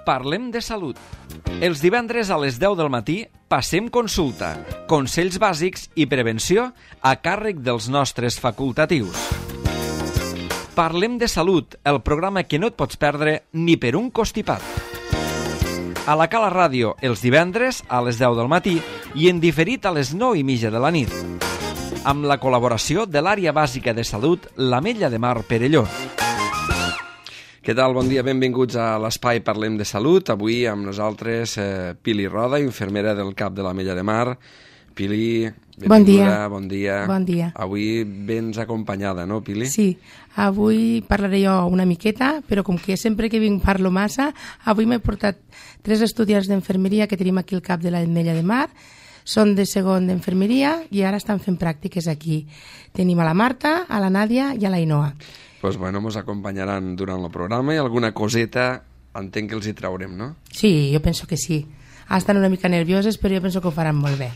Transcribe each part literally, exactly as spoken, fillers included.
Parlem de salut. Els divendres a les deu del matí passem consulta, consells bàsics i prevenció a càrrec dels nostres facultatius. Parlem de salut, el programa que no et pots perdre ni per un costipat. A la Cala Ràdio, els divendres a les deu del matí i en diferit a les nou i mitja de la nit. Amb la col·laboració de l'Àrea Bàsica de Salut, l'Ametlla de Mar Perelló. Què tal? Bon dia, benvinguts a l'Espai Parlem de Salut. Avui amb nosaltres eh, Pili Roda, infermera del CAP de l'Ametlla de Mar. Pili, benvinguda, bon dia. bon dia. Bon dia. Avui vens acompanyada, no, Pili? Sí, avui parlaré jo una miqueta, però com que sempre que vinc parlo massa, avui m'he portat tres estudiants d'infermeria que tenim aquí al CAP de l'Ametlla de Mar. Són de segon d'infermeria i ara estan fent pràctiques aquí. Tenim a la Marta, a la Nàdia i a la Ainhoa. Pues bueno, ens acompanyaran durant el programa i alguna coseta entenc que els hi traurem, no? Sí, jo penso que sí. Estan una mica nervioses, però jo penso que ho faran molt bé.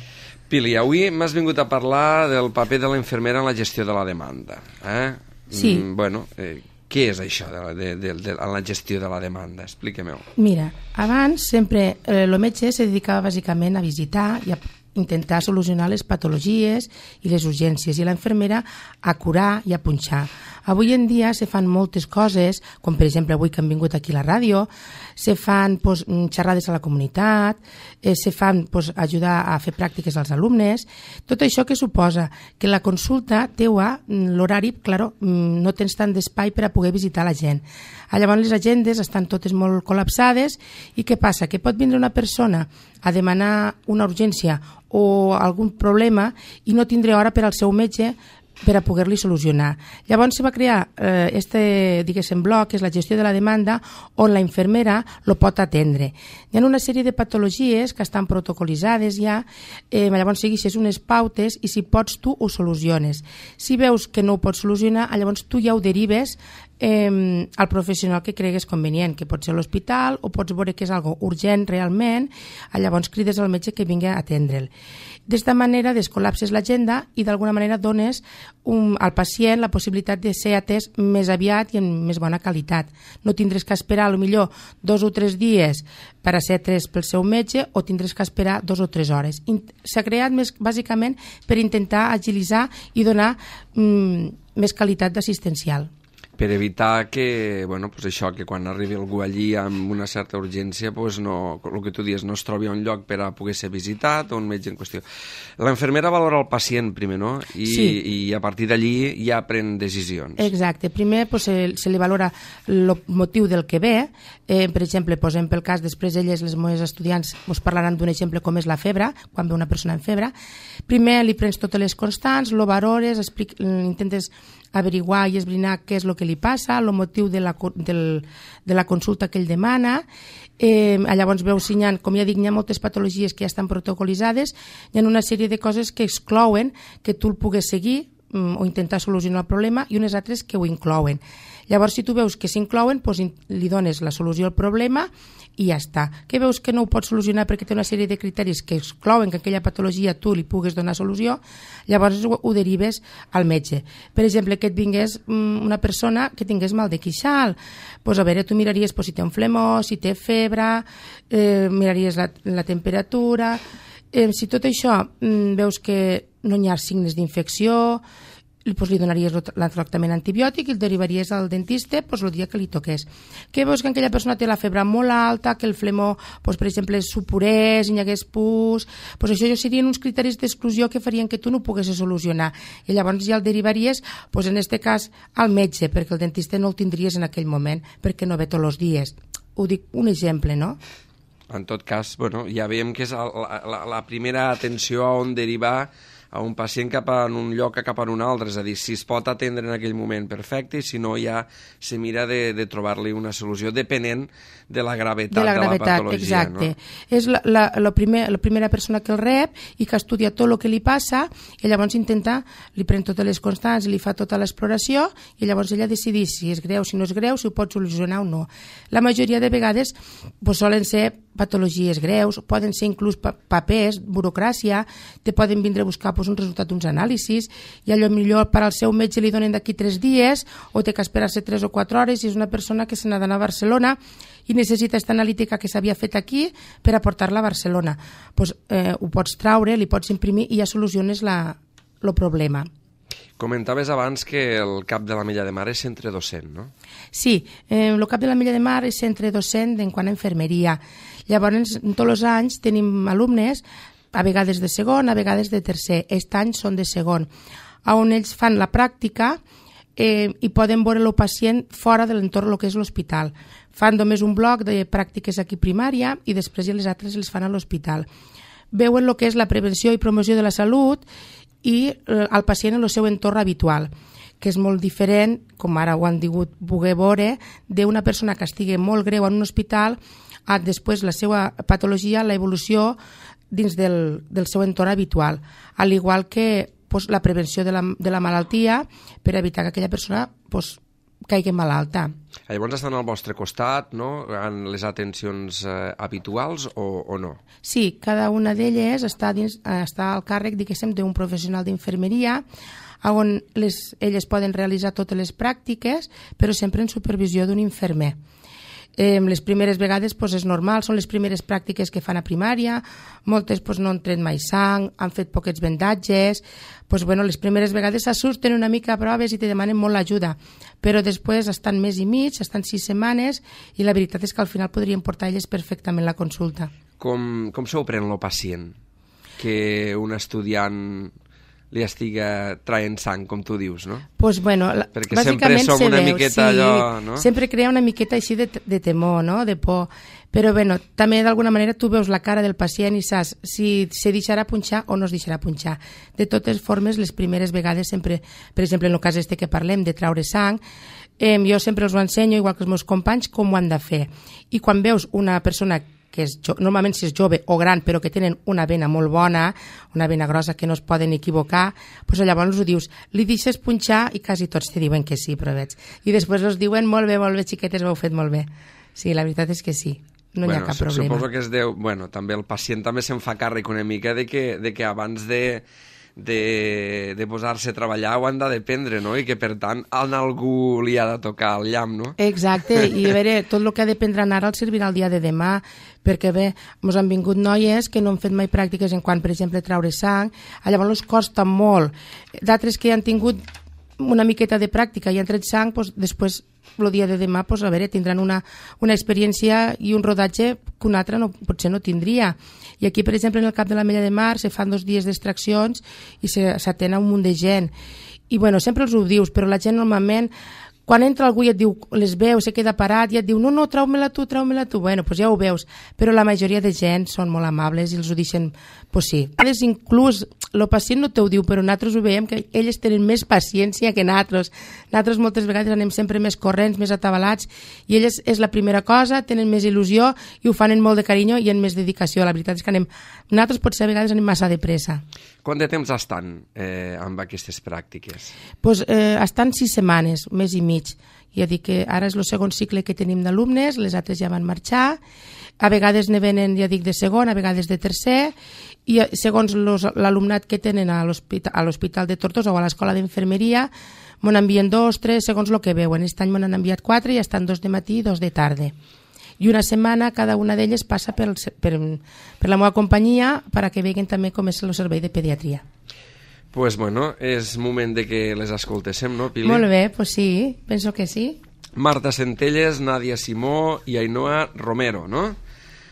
Pili, avui m'has vingut a parlar del paper de la infermera en la gestió de la demanda. Eh? Sí. Mm, bueno, eh, què és això de la, de, de, de, de la gestió de la demanda? Explica-m'ho. Mira, abans sempre eh, el metge se dedicava bàsicament a visitar i a intentar solucionar les patologies i les urgències i la infermera a curar i a punxar. Avui en dia se fan moltes coses, com per exemple avui que han vingut aquí a la ràdio, se fan pues, xerrades a la comunitat, eh, se fan pues, ajudar a fer pràctiques als alumnes. Tot això que suposa que la consulta teua, l'horari, claro, no tens tant d'espai per a poder visitar la gent. Llavors les agendes estan totes molt col·lapsades i què passa? Que pot vindre una persona a demanar una urgència o algun problema i no tindré hora per al seu metge per a poder-li solucionar. Llavors se va crear eh, este, diguéssim, bloc, que és la gestió de la demanda, on la infermera lo pot atendre. Hi ha una sèrie de patologies que estan protocolitzades ja, eh, llavors segueixes unes pautes i si pots tu ho soluciones. Si veus que no ho pots solucionar, llavors tu ja ho derives eh, al professional que cregues convenient, que pot ser l'hospital o pots veure que és algo urgent realment, llavors crides al metge que vingui a atendre'l. D'esta manera descol·lapses l'agenda i d'alguna manera dones un, al pacient la possibilitat de ser atès més aviat i amb més bona qualitat. No tindràs que esperar a lo millor dos o tres dies per a ser atès pel seu metge o tindràs que esperar dos o tres hores. S'ha creat més, bàsicament per intentar agilitzar i donar mm, més qualitat d'assistencial. Per evitar que, bueno, pues això, que quan arribi algú allí amb una certa urgència, pues no, el que tu dius, no es trobi un lloc per a poder ser visitat o un metge en qüestió. La infermera valora el pacient primer, no? I, sí. I a partir d'allí ja pren decisions. Exacte. Primer pues, se, se li valora el motiu del que ve. Eh, per exemple, posem pel cas, després elles, les meves estudiants, us parlaran d'un exemple com és la febre, quan ve una persona en febre. Primer li prens totes les constants, lo valores, explic, intentes averiguar i esbrinar què és el que li passa, el motiu de la, del, de la consulta que ell demana. Eh, llavors veus si hi ha, com ja dic, hi ha moltes patologies que ja estan protocolitzades, hi ha una sèrie de coses que exclouen que tu el pugues seguir o intentar solucionar el problema i unes altres que ho inclouen. Llavors, si tu veus que s'inclouen, doncs li dones la solució al problema i ja està. Que veus que no ho pots solucionar perquè té una sèrie de criteris que exclouen que aquella patologia tu li pugues donar solució, llavors ho, ho derives al metge. Per exemple, que et vingués una persona que tingués mal de queixal, doncs a veure, tu miraries doncs, si té un flemó, si té febre, eh, miraries la, la temperatura. Eh, si tot això mm, veus que no hi ha signes d'infecció, doncs li donaries el tractament antibiòtic i el derivaries al dentista doncs, el dia que li toqués. Que veus que aquella persona té la febre molt alta, que el flemó, doncs, per exemple, supurés, hi hagués pus, doncs això serien uns criteris d'exclusió que farien que tu no ho poguessis solucionar. I llavors ja el derivaries, doncs, en aquest cas, al metge, perquè el dentista no el tindries en aquell moment, perquè no ve tots els dies. Ho dic un exemple, no? En tot cas, bueno, ja veiem que és la, la, la primera atenció a on derivar a un pacient cap a un lloc a cap a un altre, és a dir, si es pot atendre en aquell moment, perfecte, i si no ja se mira de, de trobar-li una solució depenent de la gravetat de la, gravetat, de la patologia. Exacte. No? És la, la, la, primer, la primera persona que el rep i que estudia tot el que li passa i llavors intenta, li pren totes les constants, li fa tota l'exploració i llavors ella decideix si és greu, si no és greu, si ho pot solucionar o no. La majoria de vegades pues, solen ser patologies greus, poden ser inclús papers, burocràcia, te poden vindre a buscar pues, un resultat d'uns anàlisis i allò millor per al seu metge li donen d'aquí tres dies o té que esperar-se tres o quatre hores i és una persona que se n'ha d'anar a Barcelona i necessita aquesta analítica que s'havia fet aquí per aportar-la a Barcelona. Pues, eh, ho pots traure, li pots imprimir i ja soluciones la, el problema. Comentaves abans que el cap de l'Ametlla de Mar és centre docent, no? Sí, eh, el cap de l'Ametlla de Mar és centre docent en quant a infermeria. Llavors, tots els anys tenim alumnes, a vegades de segon, a vegades de tercer. Aquest any són de segon, on ells fan la pràctica eh, i poden veure el pacient fora de l'entorn del que és l'hospital. Fan només un bloc de pràctiques aquí primària i després ja les altres les fan a l'hospital. Veuen el que és la prevenció i promoció de la salut i el pacient en el seu entorn habitual, que és molt diferent, com ara ho han digut poder veure, d'una persona que estigui molt greu en un hospital a després la seva patologia, la evolució dins del, del seu entorn habitual, al igual que pues, la prevenció de la, de la malaltia per evitar que aquella persona pues, caigui malalta. Llavors estan al vostre costat, no?, en les atencions eh, habituals o, o no? Sí, cada una d'elles està, dins, està al càrrec, diguéssim, d'un professional d'infermeria on les, elles poden realitzar totes les pràctiques, però sempre en supervisió d'un infermer. Eh, les primeres vegades pues, és normal, són les primeres pràctiques que fan a primària, moltes pues, no han tret mai sang, han fet poquets vendatges, pues, bueno, les primeres vegades s'assusten una mica a proves i te demanen molt l'ajuda, però després estan més i mig, estan sis setmanes i la veritat és que al final podrien portar elles perfectament la consulta. Com, com s'ho pren el pacient? Que un estudiant li estiga traient sang, com tu dius, no? Pues bueno, la, perquè sempre som una veu, miqueta sí, allò, no? Sempre crea una miqueta així de, de temor, no?, de por. Però bueno, també d'alguna manera tu veus la cara del pacient i saps si se deixarà punxar o no es deixarà punxar. De totes formes, les primeres vegades sempre, per exemple, en el cas este que parlem de traure sang, eh, jo sempre els ho ensenyo, igual que els meus companys, com ho han de fer. I quan veus una persona que és jo, normalment si és jove o gran però que tenen una vena molt bona, una vena grossa que no es poden equivocar, doncs llavors ho dius, li deixes punxar i quasi tots te diuen que sí, però veig. I després els diuen molt bé, molt bé, xiquetes, ho heu fet molt bé. Sí, la veritat és que sí, no bueno, hi ha cap problema. Suposo que es deu, bueno, també el pacient també se'n fa càrrec una mica de que, de que abans de de, de posar-se a treballar ho han de dependre, no? I que per tant a algú li ha de tocar el llamp, no? Exacte, i a veure, tot el que ha de prendre ara el servirà el dia de demà, perquè bé, ens han vingut noies que no han fet mai pràctiques en quant, per exemple, traure sang, llavors els costa molt. D'altres que han tingut una miqueta de pràctica i han tret sang, doncs, després el dia de demà pues, a veure, tindran una, una experiència i un rodatge que un altre no, potser no tindria. I aquí, per exemple, en el cap de l'Ametlla de Mar se fan dos dies d'extraccions i s'atén a un munt de gent. I bueno, sempre els ho dius, però la gent normalment, quan entra algú i et diu, les veu, se queda parat i et diu, no, no, trau-me-la tu, trau-me-la tu. Bueno, doncs ja ho veus, però la majoria de gent són molt amables i els ho deixen, doncs sí. A vegades inclús el pacient no t'ho diu, però nosaltres ho veiem que elles tenen més paciència que nosaltres. Nosaltres moltes vegades anem sempre més corrents, més atabalats, i elles és la primera cosa, tenen més il·lusió i ho fan amb molt de carinyo i amb més dedicació. La veritat és que anem, nosaltres potser a vegades anem massa de pressa. Quant de temps estan eh, amb aquestes pràctiques? Pues, eh, estan sis setmanes, un mes i mig. Ja dic que ara és el segon cicle que tenim d'alumnes, les altres ja van marxar, a vegades ne venen, ja dic, de segon, a vegades de tercer, i segons l'alumnat que tenen a l'Hospital de Tortosa o a l'Escola d'Infermeria, m'ho envien dos, tres, segons el que veuen. Aquest any m'ho han enviat quatre i estan dos de matí i dos de tarda. I una setmana cada una d'elles passa per, per, per la meva companyia perquè vegin també com és el servei de pediatria. Pues bueno, és moment de que les escoltéssim, no, Pili? Molt bé, pues sí, penso que sí. Marta Centelles, Nàdia Simó i Ainhoa Romero, no?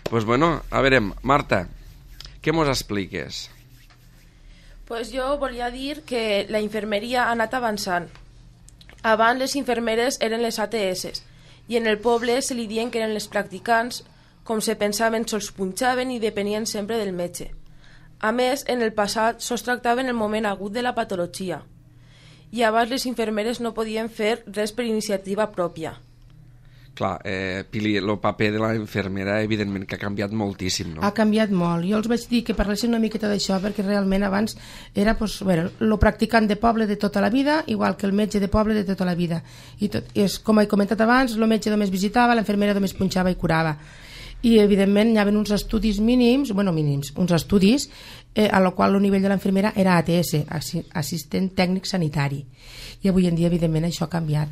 Pues bueno, a veure, Marta, què mos expliques? Pues jo volia dir que la infermeria ha anat avançant. Abans les infermeres eren les A T S i en el poble se li diuen que eren les practicants, com se pensaven se'ls punxaven i depenien sempre del metge. A més, en el passat sols tractaven el moment agut de la patologia i abans les infermeres no podien fer res per iniciativa pròpia. Clar, eh, Pili, el paper de la infermera evidentment que ha canviat moltíssim, no? Ha canviat molt. Jo els vaig dir que parlessin una miqueta d'això perquè realment abans era pues, bueno, el practicant de poble de tota la vida, igual que el metge de poble de tota la vida. I tot, és, com he comentat abans, el metge només visitava, l'infermera només punxava i curava. I evidentment hi havia uns estudis mínims, bueno, mínims, uns estudis eh, a la qual el nivell de l'infermera era A T S, assistent tècnic sanitari. I avui en dia, evidentment, això ha canviat.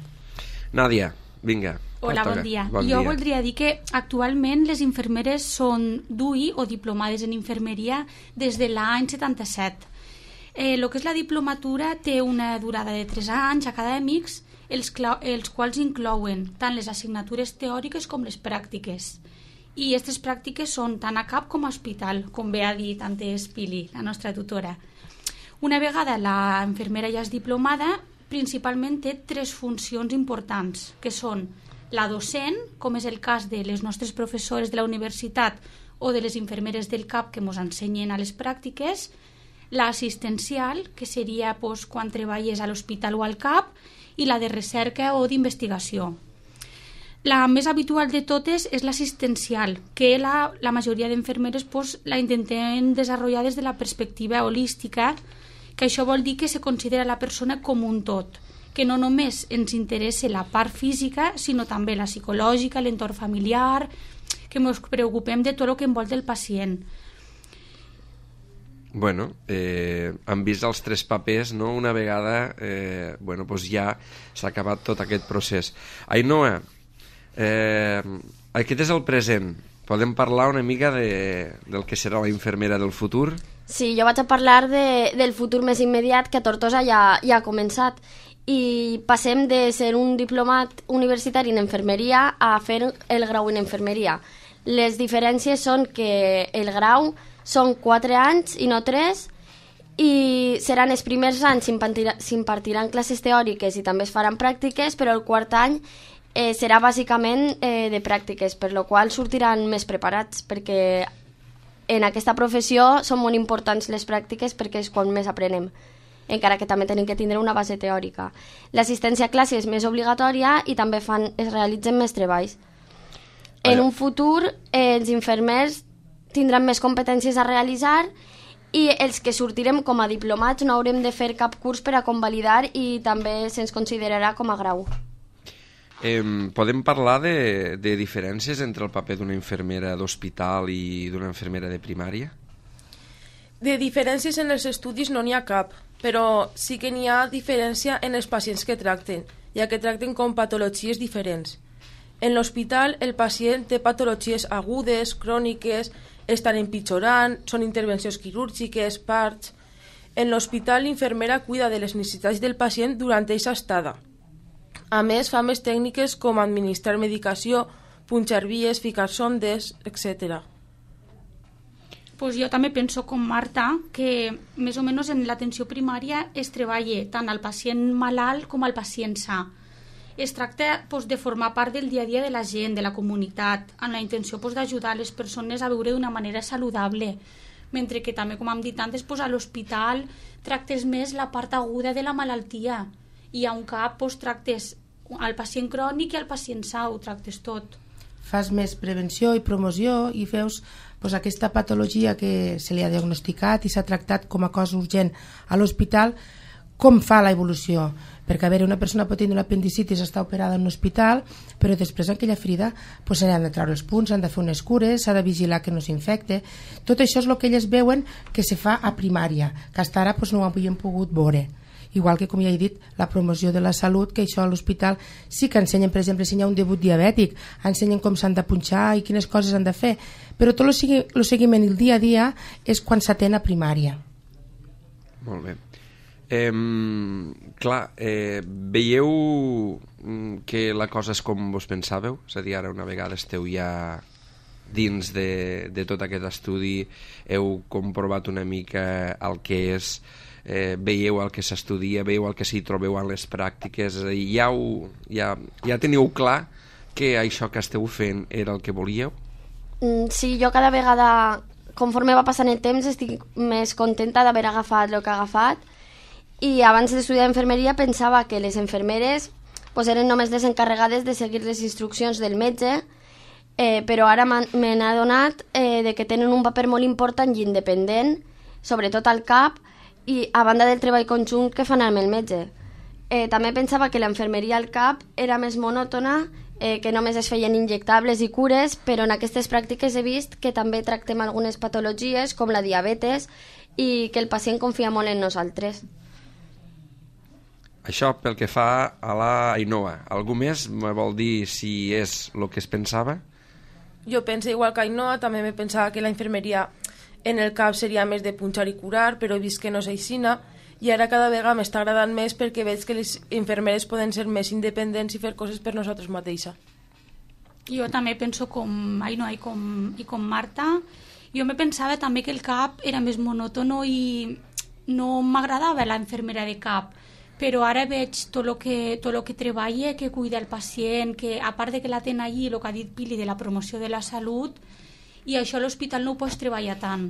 Nàdia, vinga. Hola, bon dia. Bon jo dia. voldria dir que actualment les infermeres són D U I o diplomades en infermeria des de l'any setanta-set. Eh, el que és la diplomatura té una durada de tres anys acadèmics, els, els quals inclouen tant les assignatures teòriques com les pràctiques. I aquestes pràctiques són tant a C A P com a hospital, com bé ha dit antes Pili, la nostra tutora. Una vegada la infermera ja és diplomada, principalment té tres funcions importants, que són la docent, com és el cas de les nostres professores de la universitat o de les infermeres del C A P que ens ensenyen a les pràctiques, l'assistencial, que seria pues, quan treballes a l'hospital o al C A P, i la de recerca o d'investigació. La més habitual de totes és l'assistencial, que la, la majoria d'infermeres pues, la intentem desenvolupar des de la perspectiva holística, que això vol dir que se considera la persona com un tot, que no només ens interessa la part física, sinó també la psicològica, l'entorn familiar, que ens preocupem de tot el que envolta el pacient. Bueno, eh, han vist els tres papers, no? Una vegada eh, bueno, doncs ja s'ha acabat tot aquest procés. Ainhoa, eh, aquest és el present. Podem parlar una mica de, del que serà la infermera del futur? Sí, jo vaig a parlar de, del futur més immediat, que a Tortosa ja, ja ha començat. I passem de ser un diplomat universitari en infermeria a fer el grau en infermeria. Les diferències són que el grau són quatre anys i no tres, i seran els primers anys s'impartiran classes teòriques i també es faran pràctiques, però el quart any eh, serà bàsicament eh, de pràctiques, per la qual sortiran més preparats, perquè en aquesta professió són molt importants les pràctiques perquè és quan més aprenem, encara que també tenim que tindre una base teòrica. L'assistència a classe és més obligatòria i també fan, es realitzen més treballs. En un futur, eh, els infermers tindran més competències a realitzar i els que sortirem com a diplomats no haurem de fer cap curs per a convalidar i també se'ns considerarà com a grau. Eh, podem parlar de, de diferències entre el paper d'una infermera d'hospital i d'una infermera de primària? De diferències en els estudis no n'hi ha cap, però sí que n'hi ha diferència en els pacients que tracten, ja que tracten com patologies diferents. En l'hospital el pacient té patologies agudes, cròniques, estan empitjorant, són intervencions quirúrgiques, parts. En l'hospital l'infermera cuida de les necessitats del pacient durant aquesta estada. A més, fa més tècniques com administrar medicació, punxar vies, ficar sondes, etcètera. Pues jo també penso com Marta que més o menys en l'atenció primària es treballa tant al pacient malalt com al pacient sa. Es tracta pues, de formar part del dia a dia de la gent, de la comunitat, amb la intenció pues, d'ajudar les persones a viure d'una manera saludable, mentre que també, com hem dit antes, pues, a l'hospital tractes més la part aguda de la malaltia i a un cap pues, tractes al pacient crònic i al pacient sa, ho tractes tot. Fas més prevenció i promoció i veus pues, aquesta patologia que se li ha diagnosticat i s'ha tractat com a cosa urgent a l'hospital, com fa l'evolució. Perquè, a veure, una persona pot tenir una apendicitis, està operada en un hospital, però després aquella ferida pues, s'han de treure els punts, s'han de fer unes cures, s'ha de vigilar que no s'infecte. Tot això és el que elles veuen que se fa a primària, que fins ara pues, no ho havien pogut veure. Igual que, com ja he dit, la promoció de la salut, que això a l'hospital sí que ensenyen, per exemple, si hi ha un debut diabètic, ensenyen com s'han de punxar i quines coses han de fer, però tot el segui, seguiment i el dia a dia és quan s'atén a primària. Molt bé. Eh, clar, eh, veieu que la cosa és com vos pensàveu? És a dir, ara una vegada esteu ja dins de, de tot aquest estudi, heu comprovat una mica el que és, eh, veieu el que s'estudia, veieu el que s'hi trobeu en les pràctiques, és a dir, ja, ho, ja, ja teniu clar que això que esteu fent era el que volíeu? Mm, sí, jo cada vegada, conforme va passant el temps, estic més contenta d'haver agafat el que he agafat. I abans d'estudiar infermeria pensava que les infermeres pues, eren només les encarregades de seguir les instruccions del metge, eh, però ara me n'he adonat eh, de que tenen un paper molt important i independent, sobretot al C A P, i a banda del treball conjunt que fan amb el metge. Eh, també pensava que la infermeria al C A P era més monòtona, eh, que només es feien injectables i cures, però en aquestes pràctiques he vist que també tractem algunes patologies com la diabetes i que el pacient confia molt en nosaltres. Això pel que fa a la Ainhoa. Algú més me vol dir si és el que es pensava? Jo penso igual que Ainhoa, també me pensava que la infermeria en el cap seria més de punxar i curar, però he vist que no és aixina, i ara cada vegada m'està agradant més perquè veig que les infermeres poden ser més independents i fer coses per nosaltres mateixes. Jo també penso com Ainhoa i com, i com Marta. Jo me pensava també que el cap era més monòtono i no m'agradava la infermera de cap, però ara veig tot el que, tot lo que treballa, que cuida el pacient, que a part de que la ten allí, el que ha dit Pili de la promoció de la salut, i això a l'hospital no ho pots treballar tant.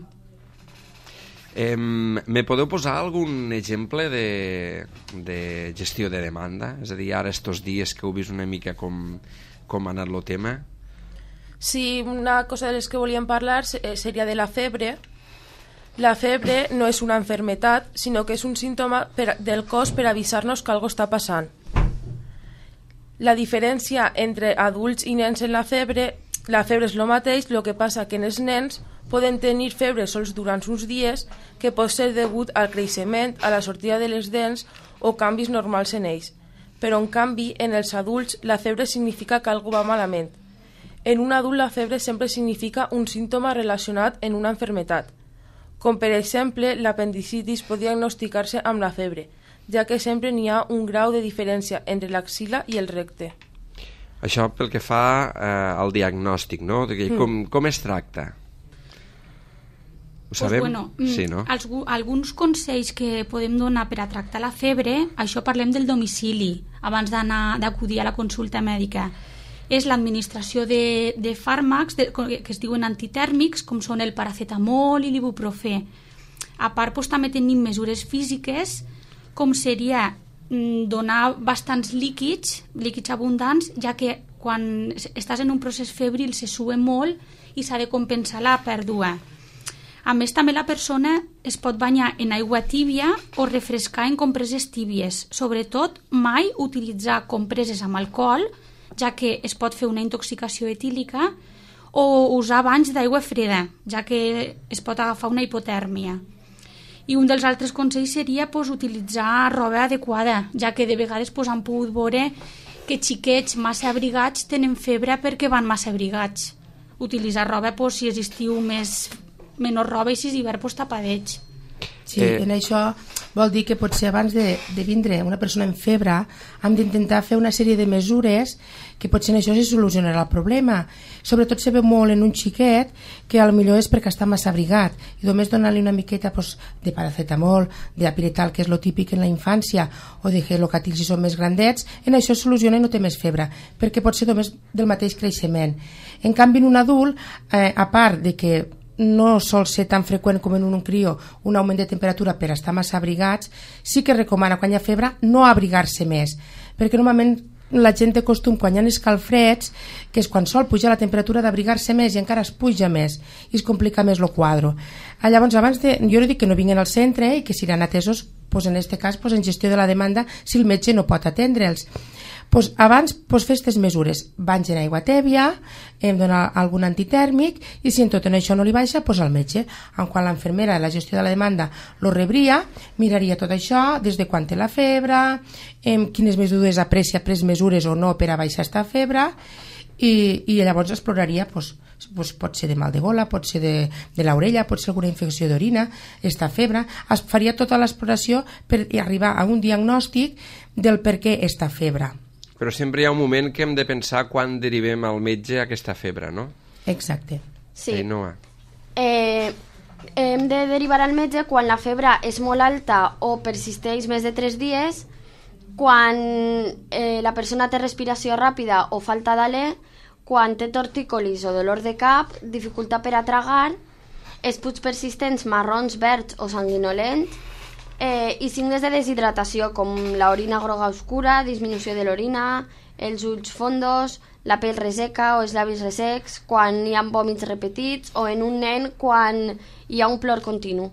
Eh, me podeu posar algun exemple de, de gestió de demanda? És a dir, ara estos dies que heu vist una mica com, com ha anat el tema? Sí, una cosa de les que volíem parlar seria de la febre. La febre no és una enfermetat, sinó que és un símptoma per, del cos per avisar-nos que alguna cosa està passant. La diferència entre adults i nens en la febre, la febre és el mateix, el que passa que en els nens poden tenir febre sols durant uns dies, que pot ser degut al creixement, a la sortida de les dents o canvis normals en ells. Però en canvi, en els adults, la febre significa que alguna va malament. En un adult la febre sempre significa un símptoma relacionat en una enfermetat, com per exemple l'apendicitis pot diagnosticar-se amb la febre, ja que sempre n'hi ha un grau de diferència entre l'axila i el recte. Això pel que fa eh, al diagnòstic, no? De que, mm. com, com es tracta? Ho sabem? Pues bueno, sí, no? els, alguns consells que podem donar per a tractar la febre, això parlem del domicili, abans d'anar d'acudir a la consulta mèdica. És l'administració de, de fàrmacs de, que es diuen antitèrmics, com són el paracetamol i l'ibuprofè. A part, doncs, també tenim mesures físiques, com seria donar bastants líquids, líquids abundants, ja que quan estàs en un procés febril se sue molt i s'ha de compensar la pèrdua. A més, també la persona es pot banyar en aigua tíbia o refrescar en compreses tíbies. Sobretot, mai utilitzar compreses amb alcohol, ja que es pot fer una intoxicació etílica, o usar banys d'aigua freda, ja que es pot agafar una hipotèrmia. I un dels altres consells seria pues, utilitzar roba adequada, ja que de vegades pues, han pogut veure que xiquets massa abrigats tenen febre perquè van massa abrigats. Utilitzar roba, pues, si és estiu, més, menys roba, i si és hivern, pues, tapadets. Sí, eh... en això vol dir que potser abans de, de vindre una persona amb febre hem d'intentar fer una sèrie de mesures que potser en això se solucionarà el problema. Sobretot se veu molt en un xiquet que potser és perquè està massa abrigat i només donar-li una miqueta pues, de paracetamol, de apiretal, que és lo típic en la infància, o de gelocatil si són més grandets, en això es soluciona i no té més febre, perquè pot ser només del mateix creixement. En canvi, en un adult, eh, a part de que no sol ser tan freqüent com en un crió un augment de temperatura per estar massa abrigats, sí que recomana quan hi ha febre no abrigar-se més, perquè normalment la gent té costum quan hi ha escalfreds, que és quan sol pujar la temperatura, d'abrigar-se més i encara es puja més i es complica més el quadre. Llavors, abans de, jo no dic que no vinguin al centre i que seran atesos, pues en aquest cas, pues en gestió de la demanda, si el metge no pot atendre'ls. Pues abans pues, fer aquestes mesures, banys en aigua tèbia, hem donar algun antitèrmic, i si en tot en això no li baixa, pues al metge. En quan l'infermera de la gestió de la demanda lo rebria, miraria tot això, des de quan té la febre, en quines mesures aprecia pres mesures o no per a baixar esta febre, i, i llavors exploraria pues, pues, pot ser de mal de gola, pot ser de, de l'orella, pot ser alguna infecció d'orina, esta febre. Es faria tota l'exploració per arribar a un diagnòstic del per què esta febre. Però sempre hi ha un moment que hem de pensar quan derivem al metge aquesta febre, no? Exacte. Sí. Ainhoa. Eh, hem de derivar al metge quan la febre és molt alta o persisteix més de tres dies, quan eh, la persona té respiració ràpida o falta d'alè, quan té tortícolis o dolor de cap, dificultat per a tragar, esputs persistents marrons, verds o sanguinolents, Eh, i signes de deshidratació com l'orina groga oscura, disminució de l'orina, els ulls fondos, la pell reseca o els llavis ressecs, quan hi ha vòmits repetits, o en un nen quan hi ha un plor continu.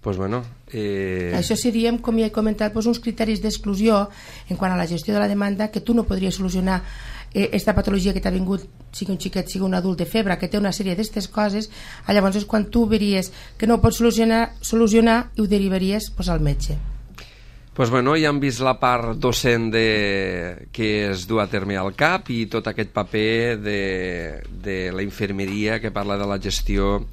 Pues bueno, eh... Això seríem, com ja he comentat, doncs uns criteris d'exclusió en quant a la gestió de la demanda, que tu no podries solucionar eh, esta patologia que t'ha vingut, sigui un xiquet, sigui un adult de febre, que té una sèrie d'aquestes coses. Llavors és quan tu veries que no ho pots solucionar, solucionar i ho derivaries pues, al metge. Pues bueno, ja hem vist la part docent de, que es du a terme al C A P i tot aquest paper de, de la infermeria que parla de la gestió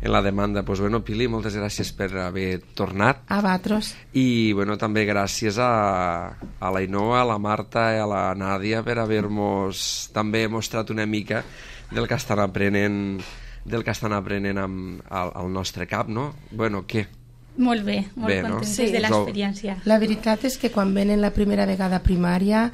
en la demanda. Pues bueno, Pili, moltes gràcies per haver tornat. A vosaltres. I bueno, també gràcies a, a la Ainhoa, a la Marta i a la Nàdia per haver-nos també mostrat una mica del que estan aprenent, del que estan aprenent amb, al, al nostre C A P, no? Bueno, què? Molt bé, molt bé, no? contentes Sí. de l'experiència. La veritat és que quan venen la primera vegada a primària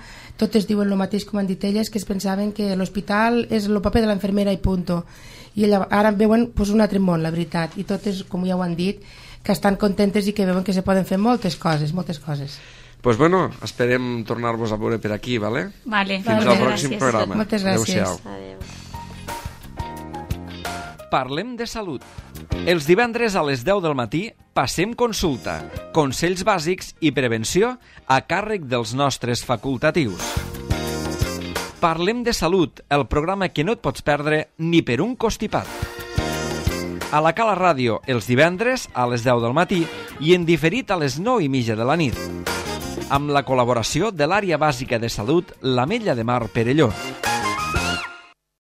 totes diuen el mateix com han dit elles, que es pensaven que l'hospital és el paper de l'enfermera i punto. I ella, ara veuen pues, un altre món, la veritat. I totes, com ja ho han dit, que estan contentes i que veuen que se poden fer moltes coses, moltes coses. Pues bueno, esperem tornar-vos a veure per aquí, ¿vale? Vale, Fins Vale, al pròxim gràcies. programa. Moltes gràcies. Adéu-siau. Adéu. Parlem de salut. Els divendres a les deu del matí passem consulta, consells bàsics i prevenció a càrrec dels nostres facultatius. Parlem de salut, el programa que no et pots perdre ni per un costipat. A la Cala Ràdio, els divendres a les deu del matí i en diferit a les nou i mitja de la nit. Amb la col·laboració de l'àrea bàsica de salut, l'Ametlla de Mar Perelló.